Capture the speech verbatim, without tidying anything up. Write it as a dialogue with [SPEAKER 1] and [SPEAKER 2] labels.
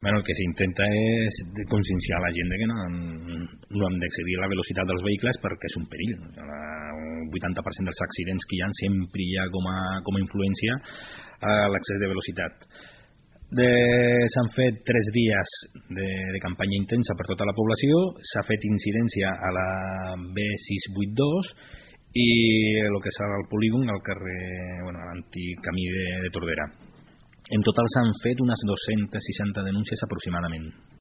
[SPEAKER 1] Bueno, el que s'intenta és de conscienciar la gent de que no, no hem d'excedir la velocitat dels vehicles perquè és un perill. El vuitanta per cent dels accidents que hi ha sempre hi ha com a, com a influència a l'excés de velocitat. De, s'han fet tres dies de, de campanya intensa per tota la població, s'ha fet incidència a la B sis cents vuitanta dos i el que és el polígon al carrer, bueno, a l'antic camí de, de Tordera. En total s'han fet unes dos-centes seixanta denúncies aproximadament.